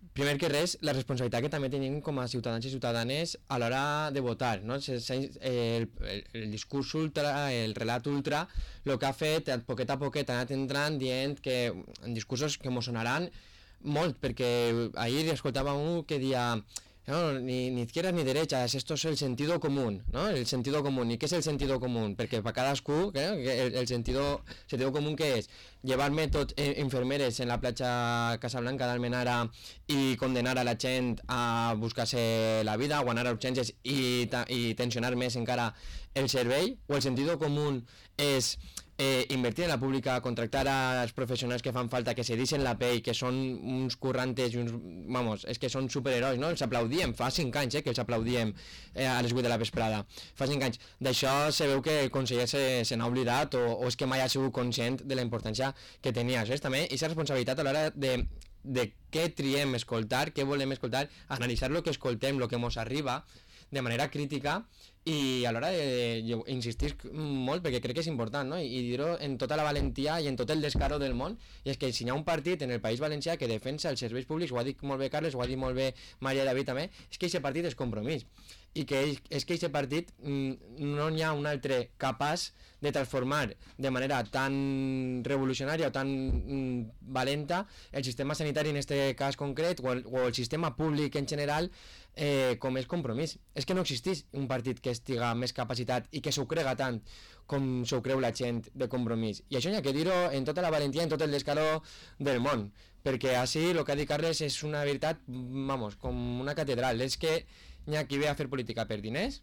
Primer que res, la responsabilitat que també tenim com a ciutadans i ciutadanes a l'hora de votar, no? El discurs ultra, el relat ultra, el que ha fet, poquet a poquet ha anat entrant dient que en discursos que mos sonaran molt, perquè ahir escoltava un que deia no, ni izquierdas ni derechas, esto es el sentido común, ¿no? El sentido común. ¿Y qué es el sentido común? Perquè per cadascú, el sentido común què és? Llevar-me tots infermeres en la platja Casablanca d'Almenara i condenar a la gent a buscar-se la vida, o anar a urgències i tensionar més encara el servei? O el sentido común és invertir en la pública, contractar als professionals que fan falta, que se deixen la pell, que són uns currantes i uns... Vamos, és que són superherois, no? Els aplaudíem, fa 5 anys que els aplaudíem a les 8 de la vesprada. Fa 5 anys. D'això se veu que el conseller se n'ha oblidat o és que mai ha sigut conscient de la importància que tenia. Això és també aquesta responsabilitat a l'hora de què triem escoltar, què volem escoltar, analitzar el que escoltem, el que ens arriba de manera crítica i a l'hora de insistir molt perquè crec que és important, no? I dir-ho en tota la valentia i en tot el descaro del món, i és que si hi ha un partit en el País Valencià que defensa els serveis públics, ho ha dit molt bé Carles, ho ha dit molt bé Maria David també, és que aquest partit és Compromís i que és que aquest partit no n'hi ha un altre capaç de transformar de manera tan revolucionària o tan valenta el sistema sanitari en aquest cas concret o el sistema públic en general com és Compromís. És que no existeix un partit que estiga més capacitat i que s'ho crega tant com s'ho creu la gent de Compromís. I això hi ha que dir-ho en tota la valentia, en tot el descaro del món, perquè així el que ha dit Carles és una veritat, vamos, com una catedral. És que hi ha qui ve a fer política per diners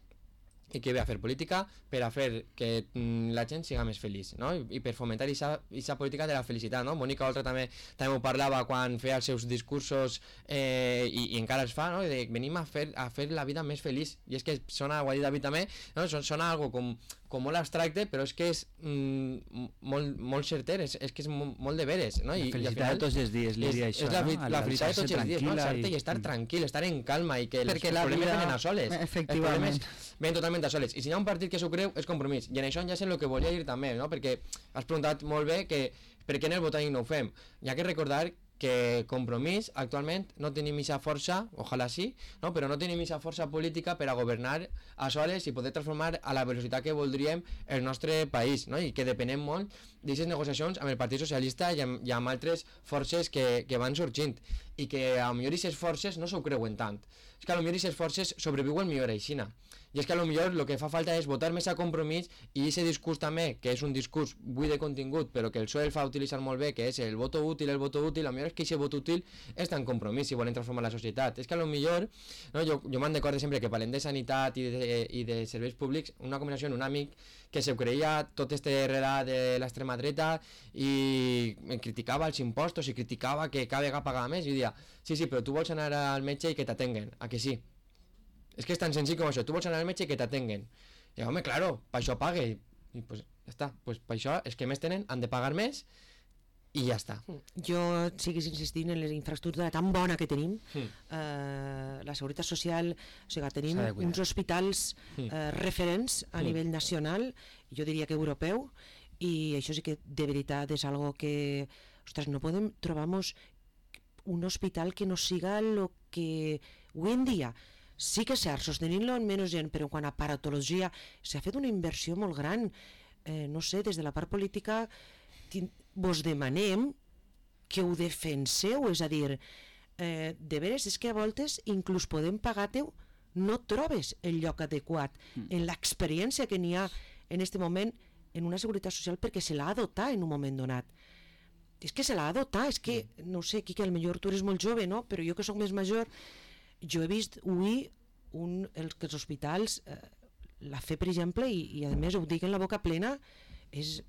i qui ve a fer política per a fer que la gent siga més feliç, no? I per fomentar aquesta política de la felicitat, no? Mònica Oltra també ho parlava quan feia els seus discursos i encara els fa, no? De venim a fer la vida més feliç, i és que sona, ho ha dit David també, no? Sona algo com molt abstracte, però és que és molt certer, és que és molt de veres, no? La felicitat de tots els dies, Lídia, això, no? La felicitat de tots els dies, no? I estar tranquil, estar en calma i que els problemes venen a soles. Efectivament. Ven totalment a soles. I si hi ha un partit que s'ho creu, és Compromís. I en això ja sé el que volia dir també, no? Perquè has preguntat molt bé que per què en el Botànic no ho fem. Hi ha que recordar que Compromís actualment no tenim aquesta força, ojalà sí, no? Però no tenim aquesta força política per a governar a soles i poder transformar a la velocitat que voldríem el nostre país, no? I que depenem molt d'aquestes negociacions amb el Partit Socialista i amb altres forces que van sorgint i que a lo millor aquestes forces no s'ho creuen tant. És que a lo millor aquestes forces sobreviuen millor aixina. I és que a lo millor el que fa falta és votar més a Compromís i aquest discurs també, que és un discurs buit de contingut, però que el PSOE el fa utilitzar molt bé, que és el voto útil, a lo millor és que aquest vot útil és tan Compromís si volen transformar la societat. És que a lo millor, no, jo me'n recordo sempre que parlem de sanitat i de serveis públics, una conversació amb un amic que se creia tot este relat de l'extrema dreta i criticava els impostos i criticava que cada vegada pagava més, i deia, sí, però tu vols anar al metge i que t'atenguen, a que sí? És que és tan senzill com això, tu vols anar al metge i que t'atenguen. I home, claro, per això pague. I pues, ja està. Pues per això els que més tenen han de pagar més i ja està. Jo siguis insistint en la infraestructura tan bona que tenim, la Seguretat Social, o sigui, tenim uns hospitals referents a nivell nacional, jo diria que europeu, i això sí que de veritat és algo que, ostres, no podem trobar-nos un hospital que no siga lo que avui en dia, sí que és cert, sostenint-lo en menys gent, però en quant a paratologia s'ha fet una inversió molt gran, no sé, des de la part política vos demanem que ho defenseu, és a dir, de veres és que a voltes inclús podem pagar-te-ho, no trobes el lloc adequat en l'experiència que n'hi ha en aquest moment en una seguretat social perquè se l'ha dotat en un moment donat. És que se l'ha dotat, és que, no sé, Quique, al millor tu eres molt jove, no? Però jo que sóc més major, jo he vist avui que els hospitals, la fe, per exemple, i a més ho dic en la boca plena, és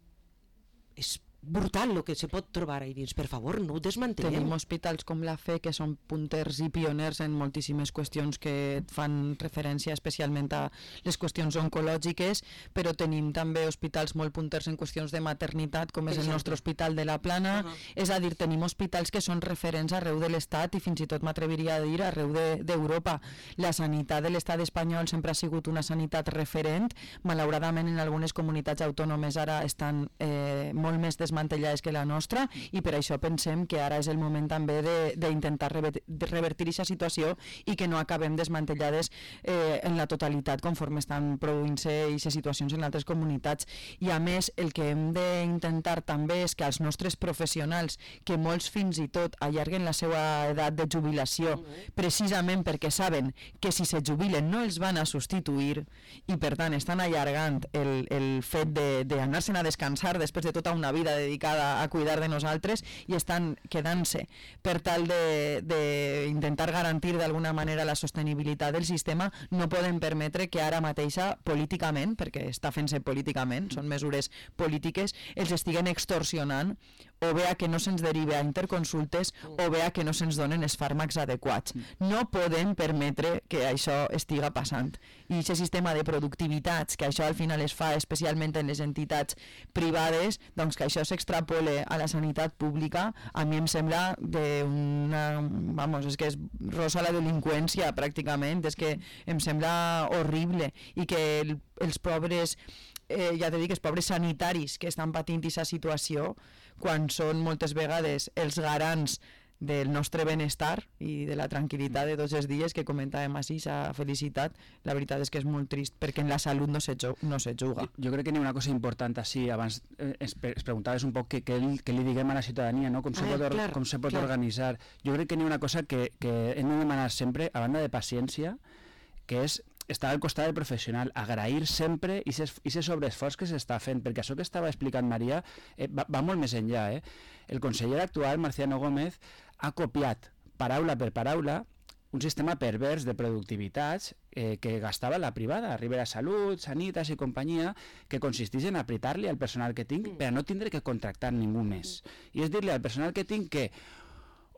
brutal el que se pot trobar ahí dins. Per favor, no ho desmantellem. Tenim hospitals com la FE que són punters i pioners en moltíssimes qüestions que fan referència especialment a les qüestions oncològiques, però tenim també hospitals molt punters en qüestions de maternitat, com és el nostre Hospital de la Plana. És a dir, tenim hospitals que són referents arreu de l'Estat i fins i tot m'atreviria a dir arreu d'Europa. La sanitat de l'Estat espanyol sempre ha sigut una sanitat referent. Malauradament, en algunes comunitats autònomes ara estan molt més desmantellades que la nostra, i per això pensem que ara és el moment també d'intentar revertir aquesta situació i que no acabem desmantellades en la totalitat conforme estan produint-se aquestes situacions en altres comunitats. I a més, el que hem d'intentar també és que els nostres professionals, que molts fins i tot allarguen la seva edat de jubilació precisament perquè saben que si se jubilen no els van a substituir i per tant estan allargant el fet d'anar-se'n a descansar després de tota una vida dedicada a cuidar de nosaltres, i estan quedant-se per tal d'intentar garantir d'alguna manera la sostenibilitat del sistema, no podem permetre que ara mateixa políticament, perquè està fent-se políticament, són mesures polítiques, els estiguen extorsionant, o bé a que no se'ns derive a interconsultes o bé a que no se'ns donen els fàrmacs adequats. No podem permetre que això estiga passant. I aquest sistema de productivitats, que això al final es fa especialment en les entitats privades, doncs que això s'extrapole a la sanitat pública, a mi em sembla és que és rosa la delinqüència pràcticament, és que em sembla horrible, i que els pobres ja t'he dit, els pobres sanitaris que estan patint aquesta situació, quan són moltes vegades els garants del nostre benestar i de la tranquil·litat de tots els dies que comentàvem així, s'ha felicitat, la veritat és que és molt trist perquè en la salut no se juga. Jo crec que n'hi ha una cosa important així, abans es preguntaves un poc què li diguem a la ciutadania, no? com se pot organitzar. Jo crec que n'hi ha una cosa que hem de demanar sempre, a banda de paciència, que és estar al costat del professional, agrair sempre i aquest sobreesforç que s'està fent, perquè això que estava explicant Maria va molt més enllà. El conseller actual, Marciano Gómez, ha copiat paraula per paraula un sistema pervers de productivitats que gastava la privada, Ribera Salut, Sanitas i companyia, que consisteix en apretar-li al personal que tinc per a no tindre que contractar ningú més. I és dir-li al personal que tinc que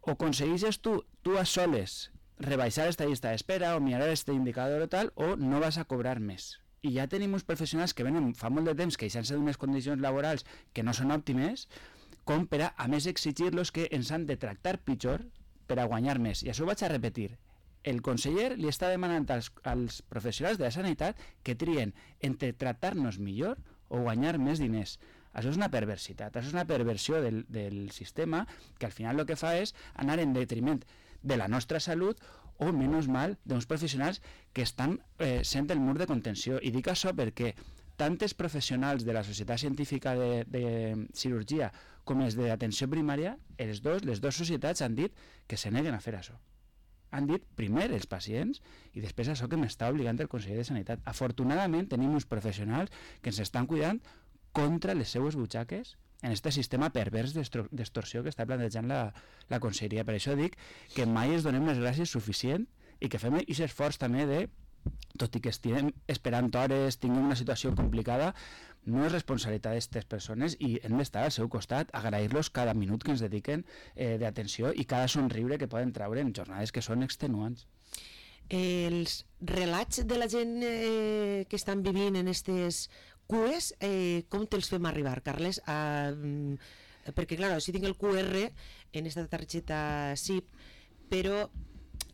o aconsegueixes tu a soles rebaixar esta llista d'espera o mirar este indicador o tal, o no vas a cobrar més. I ja tenim uns professionals que venen fa molt de temps queixant-se d'unes condicions laborals que no són òptimes, com per a més exigir-los que ens han de tractar pitjor per a guanyar més. I això ho vaig a repetir. El conseller li està demanant als professionals de la sanitat que trien entre tractar-nos millor o guanyar més diners. Això és una perversitat, això és una perversió del sistema que al final el que fa és anar en detriment de la nostra salut o, menys mal, d'uns professionals que estan sent el mur de contenció. I dic això perquè tantes professionals de la Societat Científica de Cirurgia com els d'atenció primària, les dues societats han dit que se neguen a fer això. Han dit primer els pacients i després això que m'està obligant el conseller de Sanitat. Afortunadament tenim uns professionals que ens estan cuidant contra les seues butxaques en aquest sistema pervers d'extorsió que està plantejant la conselleria. Per això dic que mai ens donem les gràcies suficient i que fem aquest esforç també de, tot i que estiguem esperant hores, tinguem una situació complicada, no és responsabilitat d'aquestes persones i hem d'estar al seu costat, agrair-los cada minut que ens dediquen d'atenció i cada somriure que poden treure en jornades que són extenuants. Els relats de la gent que estan vivint en aquestes cues, com te'ls fem arribar, Carles? Perquè, clar, si tinc el QR en aquesta targeta SIP, però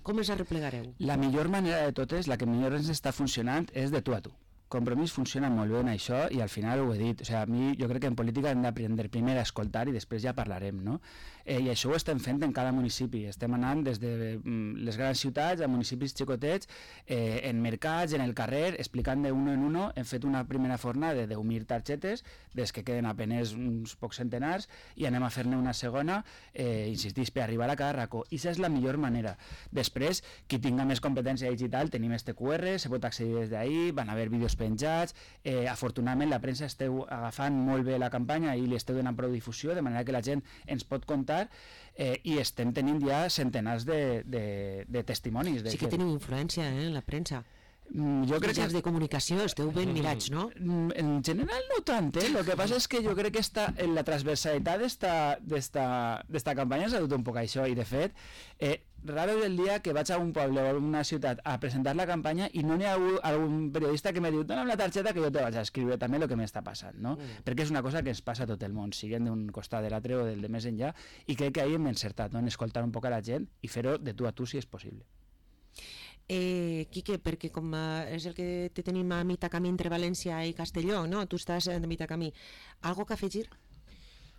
com els arreplegareu? La millor manera de totes, la que millor ens està funcionant, és de tu a tu. Compromís funciona molt bé en això i al final ho he dit, o sigui, a mi jo crec que en política hem d'aprendre primer a escoltar i després ja parlarem, no? I això ho estem fent en cada municipi, estem anant des de les grans ciutats a municipis xicotets, en mercats, en el carrer, explicant de uno en uno. Hem fet una primera fornada de 10.000 targetes, des que queden apenes uns pocs centenars, i anem a fer-ne una segona, insistís, per arribar a cada racó, i aquesta és la millor manera. Després, qui tinga més competència digital, tenim este QR, se pot accedir des d'ahí, van haver vídeos penjats, afortunadament la premsa esteu agafant molt bé la campanya i li esteu donant prou difusió, de manera que la gent ens pot contar, i estem tenint ja centenars de testimonis. Sí que teniu influència en la premsa. Jo crec que de comunicació esteu ben mirats, no? En general no tant, Lo que passa és que jo crec que la transversalitat d'esta campanya s'ha dut un poc això, i de fet raro és el dia que vaig a un poble o a una ciutat a presentar la campanya i no n'hi ha algun periodista que me diu dona'm la targeta que jo te vaig a escriure també el que m'està passant, no? Perquè és una cosa que ens passa a tot el món, siguent d'un costat de l'altre o del de més enllà, i crec que ahir hem encertat, no? En escoltar un poc a la gent i fer-ho de tu a tu si és possible. Quique, perquè com és el que tenim a mitjà camí entre València i Castelló, no? Tu estàs a mitjà camí. Algo que afegir?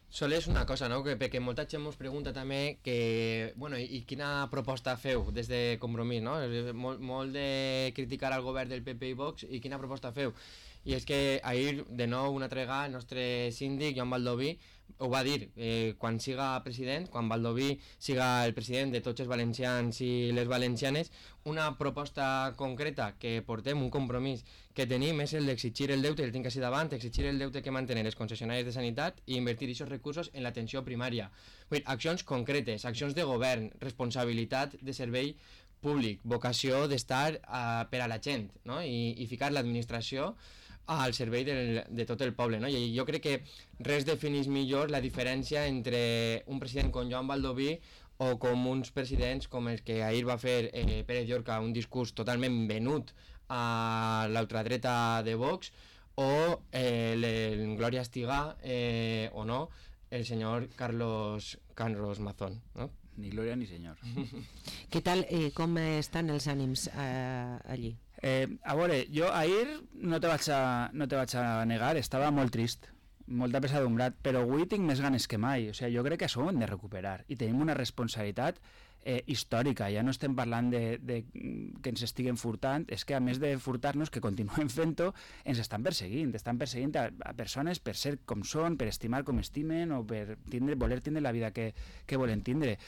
Sol és una cosa, no? Perquè molta gent ens pregunta també que, bueno, i quina proposta feu des de Compromís, no? Molt de criticar al govern del PP i Vox, i quina proposta feu? I és que ahir, de nou, una altra vegada, el nostre síndic, Joan Baldoví, ho va dir, quan siga president, quan Baldoví siga el president de tots els valencians i les valencianes, una proposta concreta que portem, un compromís que tenim, és el d'exigir el deute, el tinc així davant, exigir el deute que mantenen les concessionàries de sanitat i invertir aquests recursos en l'atenció primària. Vull dir, accions concretes, accions de govern, responsabilitat de servei públic, vocació d'estar per a la gent, no? I ficar l'administració al servei de tot el poble, no? I jo crec que res defineix millor la diferència entre un president com Joan Baldoví o com uns presidents com els que ahir va fer Pérez Llorca, un discurs totalment venut a l'ultradreta de Vox, o Glòria Estiga, o no, el senyor Carlos Mazón, no? Ni glòria ni senyor. Què tal, com estan els ànims allí? A veure, jo ahir no te vaig a negar, estava molt trist, molt apesadumbrat, però avui tinc més ganes que mai. O sigui, jo crec que això ho hem de recuperar i tenim una responsabilitat històrica. Ja no estem parlant de que ens estiguen furtant, és que a més de furtar-nos, que continuem fent-ho, ens estan perseguint a persones per ser com són, per estimar com estimen, o per voler tindre la vida que volen tindre,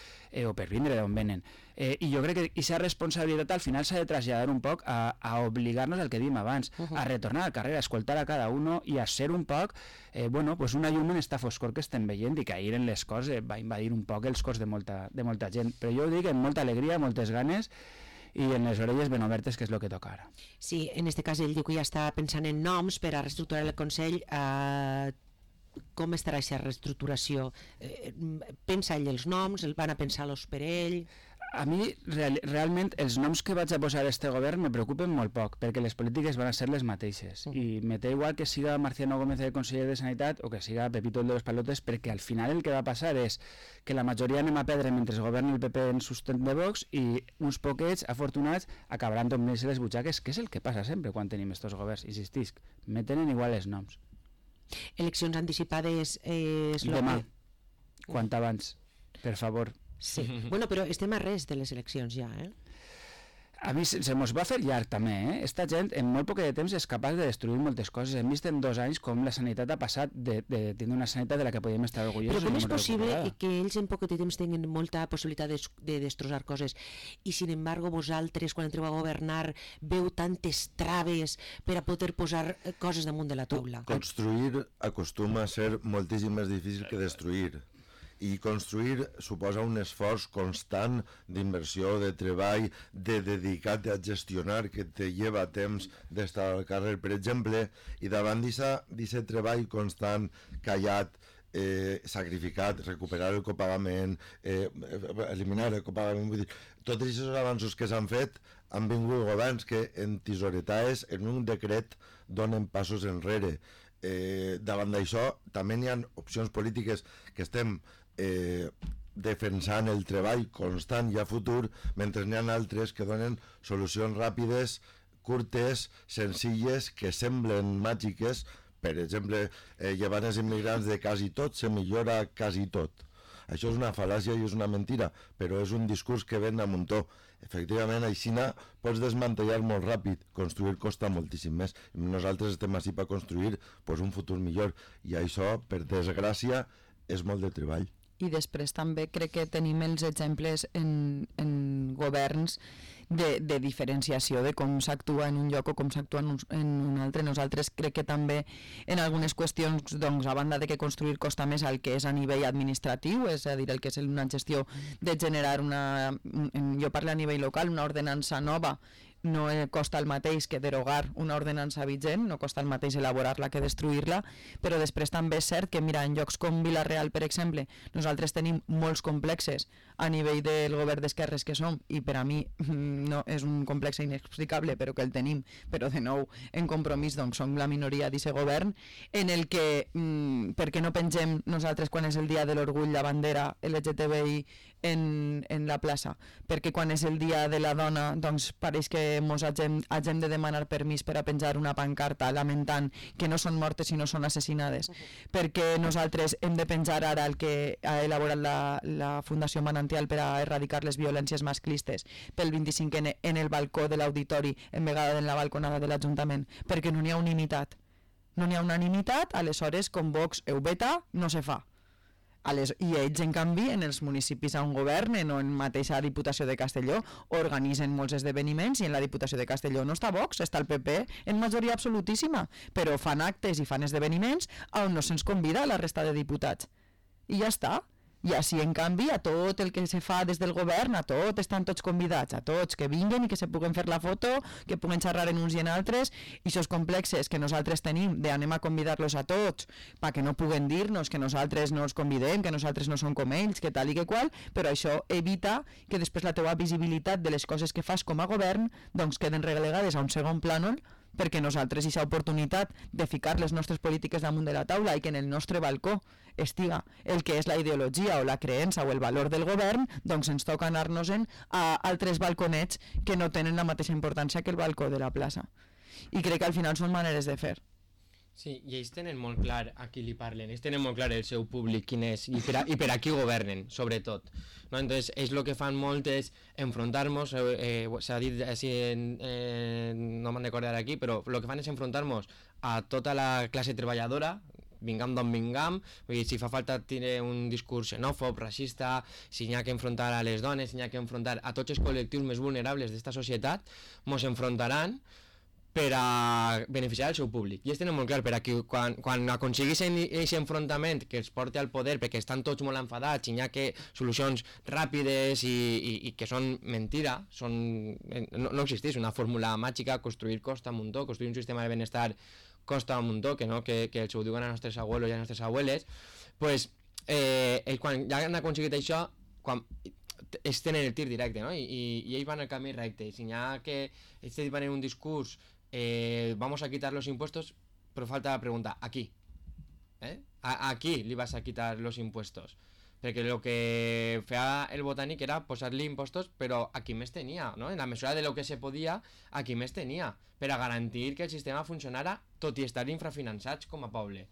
o per vindre d'on venen. I jo crec que aquesta responsabilitat al final s'ha de traslladar un poc a obligar-nos al que dèiem abans, a retornar al carrer, a escoltar a cada uno i a ser un poc una llum en esta foscor que estem veient, i que ahir en les cors va invadir un poc els cors de molta gent. Però jo ho dic amb molta alegria, moltes ganes, i en les orelles ben obertes, que és el que toca ara. Sí, en aquest cas ell diu que ja està pensant en noms per a reestructurar el Consell. Com estarà aquesta reestructuració? Pensa ell els noms? El van a pensar-los per ell? A mi, realment, els noms que vaig a posar a este govern me preocupen molt poc, perquè les polítiques van a ser les mateixes. I me té igual que siga Marciano Gómez el conseller de Sanitat o que siga Pepito el de los Palotes, perquè al final el que va passar és que la majoria anem a perdre mentre governi el PP en sustent de Vox, i uns poquets afortunats acabaran tombant-se les butxaques, que és el que passa sempre quan tenim estos governs. Insistisc, me tenen igual els noms. Eleccions anticipades demà, quant abans, per favor. Sí, bueno, però estem a res de les eleccions ja, A mi se mos va fer llarg també, Esta gent en molt poc de temps és capaç de destruir moltes coses. Hem vist en 2 anys com la sanitat ha passat de tenir una sanitat de la que podíem estar orgullosos. Però com és possible que ells en poc de temps tinguin molta possibilitat de destrossar coses i, sin embargo, vosaltres, quan entreu a governar, veu tantes traves per a poder posar coses damunt de la taula? Construir acostuma a ser moltíssim més difícil que destruir. I construir suposa un esforç constant d'inversió, de treball, de dedicat a gestionar, que te lleva temps d'estar al carrer, per exemple, i davant d'aquest treball constant, callat, sacrificat, recuperar el copagament, eliminar el copagament, vull dir, tots aquests avanços que s'han fet han vingut governs que en tisoretades, en un decret, donen passos enrere. Davant d'això també hi ha opcions polítiques que estem defensant el treball constant i a futur, mentre n'hi ha altres que donen solucions ràpides, curtes, senzilles, que semblen màgiques. Per exemple, llevant els immigrants de quasi tot se millora quasi tot. Això és una fal·làcia i és una mentira, però és un discurs que ven a muntó. Efectivament, així pots desmantellar molt ràpid, construir costa moltíssim més. Nosaltres estem així per construir un futur millor, i això, per desgràcia, és molt de treball. I després també crec que tenim els exemples en governs de diferenciació de com s'actua en un lloc o com s'actua en un altre. Nosaltres crec que també en algunes qüestions, doncs, a banda de que construir costa més el que és a nivell administratiu, és a dir, el que és una gestió de generar jo parlo a nivell local, una ordenança nova, no costa el mateix que derogar una ordenança vigent, no costa el mateix elaborar-la que destruir-la, però després també és cert que, mira, en llocs com Vila-real, per exemple, nosaltres tenim molts complexes a nivell del govern d'esquerres que som, i per a mi no és un complex inexplicable, però que el tenim, però de nou, en Compromís, doncs, som la minoria d'aquest govern, en el que, per què no pengem nosaltres quan és el dia de l'orgull la bandera LGTBI en la plaça? Perquè quan és el dia de la dona, doncs pareix que mos hagem de demanar permís per a penjar una pancarta lamentant que no són mortes sinó són assassinades, perquè nosaltres hem de penjar ara el que ha elaborat la Fundació Manantial per a erradicar les violències masclistes pel 25N en el balcó de l'auditori en vegada en la balconada de l'Ajuntament, perquè no n'hi ha unanimitat. No n'hi ha unanimitat, aleshores com Vox ho veta, no se fa. I ells, en canvi, en els municipis on governen o en mateixa Diputació de Castelló organitzen molts esdeveniments, i en la Diputació de Castelló no està Vox, està el PP en majoria absolutíssima, però fan actes i fan esdeveniments on no se'ns convida a la resta de diputats. I ja està. I així, en canvi, a tot el que se fa des del govern, a tot estan tots convidats, a tots que vinguen i que se puguen fer la foto, que puguen xerrar en uns i en altres, i aquests complexes que nosaltres tenim d'anem a convidar-los a tots perquè no puguen dir-nos que nosaltres no els convidem, que nosaltres no som com ells, que tal i que qual, però això evita que després la teua visibilitat de les coses que fas com a govern doncs queden relegades a un segon plànol, perquè nosaltres aquesta oportunitat de ficar les nostres polítiques damunt de la taula i que en el nostre balcó estiga el que és la ideologia o la creença o el valor del govern, doncs ens toca anar-nos-en a altres balconets que no tenen la mateixa importància que el balcó de la plaça. I crec que al final són maneres de fer. Sí, i ells tenen molt clar a qui li parlen, ells tenen molt clar el seu públic quin és i per a qui governen, sobretot. ¿No? Entonces, ells el que fan molt és enfrontar-nos, s'ha dit així, no me'n recordo aquí, però el que fan és enfrontar-nos a tota la classe treballadora, vingam d'on vingam, vull dir, si fa falta tenir un discurs xenòfob, racista, si n'hi ha que enfrontar a les dones, si n'hi ha que enfrontar a tots els col·lectius més vulnerables d'esta societat, mos enfrontaran per a beneficiar el seu públic. I ells tenen molt clar, per a que quan aconseguissin aquest enfrontament que els porti al poder, perquè estan tots molt enfadats i n'hi ha que solucions ràpides i que són mentira, no existeix una fórmula màgica, construir costa un muntó, construir un sistema de benestar costa un muntó, que els ho diuen a nostres abuelos i a nostres abueles, pues, quan ja han aconseguit això, ells tenen el tir directe, no? I ells van al camí recte, i si n'hi ha que ells van en un discurs vamos a quitar los impuestos, pero falta la pregunta, ¿a qui? ¿A qui li vas a quitar los impuestos? Perquè el que feia el Botànic era posar-li impostos, però a qui més tenia, no? En la mesura de lo que se podia, a qui més tenia, per a garantir que el sistema funcionara, tot i estar infrafinançats com a poble.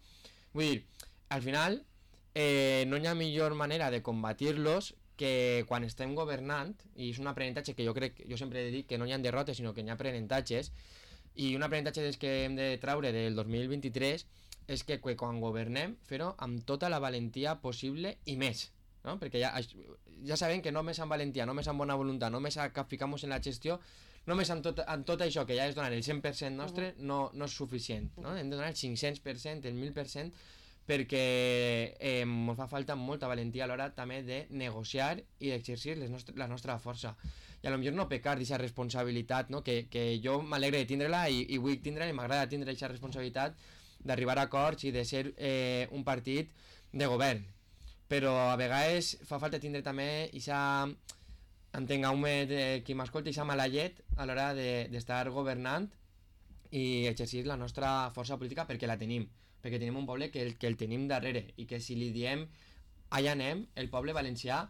Vull dir, al final, no hi ha millor manera de combatir-los que quan estem governant, i és un aprenentatge que jo sempre he dit que no hi ha derrotes, sinó que hi ha aprenentatges, i un aprenentatge des que hem de traure del 2023 és que quan governem, fer-ho amb tota la valentia possible i més, no? Perquè ja sabem que només amb valentia, només amb bona voluntat, només a ficar-nos en la gestió, només amb tot això que ja és donar el 100% nostre no és suficient, no? Hem de donar el 500%, el 1000%, perquè ens fa falta molta valentia a l'hora també de negociar i d'exercir la nostra força. I potser no pecar d'aquesta responsabilitat, no? Que jo m'alegre de tindre-la i vull tindre-la i m'agrada tindre aquesta responsabilitat d'arribar a acords i de ser un partit de govern, però a vegades fa falta tindre també entengueu-me qui m'escolta, aquesta mala llet a l'hora d'estar governant i exercir la nostra força política, perquè la tenim, perquè tenim un poble que el tenim darrere, i que si li diem allà anem, el poble valencià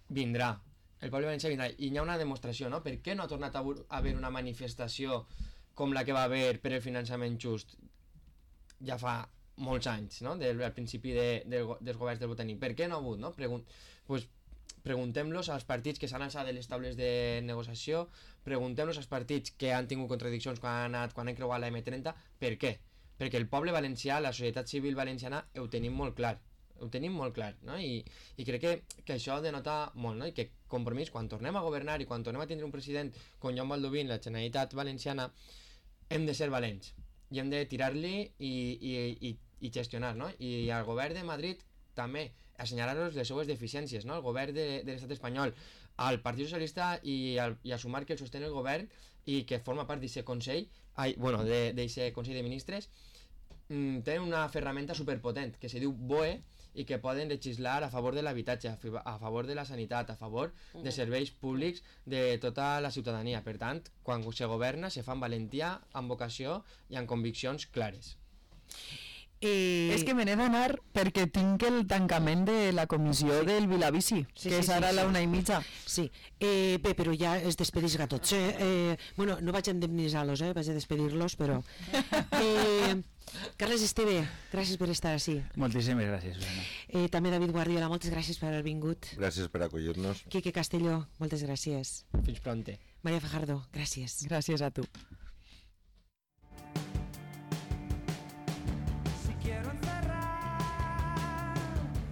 vindrà. El poble valencià vindrà. I hi ha una demostració, no? Per què no ha tornat a haver una manifestació com la que va haver per el finançament just ja fa molts anys, no? Al principi dels governs del Botànic? Per què no ha hagut, no? Preguntem-los als partits que s'han alçat de les taules de negociació, preguntem-los als partits que han tingut contradiccions quan han creuat la M30, per què? Perquè el poble valencià, la societat civil valenciana, ho tenim molt clar. No? I crec que això denota molt, no? I que compromís, quan tornem a governar i quan tornem a tindre un president com Joan Baldoví, la Generalitat Valenciana, hem de ser valents i hem de tirar-li i gestionar, no? I al govern de Madrid també assenyalar-los les seues deficiències, no? El govern de l'estat espanyol, al Partit Socialista i a Sumar, que el sostén el govern i que forma part d'aquest Consell, d'aquest Consell de Ministres, tenen una ferramenta superpotent que se diu BOE i que poden legislar a favor de l'habitatge, a favor de la sanitat, a favor de serveis públics de tota la ciutadania. Per tant, quan se governa, se fa amb valentia, amb vocació i amb conviccions clares. És que me n'he d'anar perquè tinc el tancament de la comissió del Vilavici, que és ara a la 1:30. Sí, bé, però ja es despedís a tots. Bueno, no vaig a indemnitzar-los, vaig a despedir-los, però... Carles Esteve, gràcies per estar així. Moltíssimes gràcies, Susana. També David Guardiola, moltes gràcies per haver vingut. Gràcies per acollir-nos. Quique Castelló, moltes gràcies. Fins pronte. Maria Fajardo, gràcies. Gràcies a tu.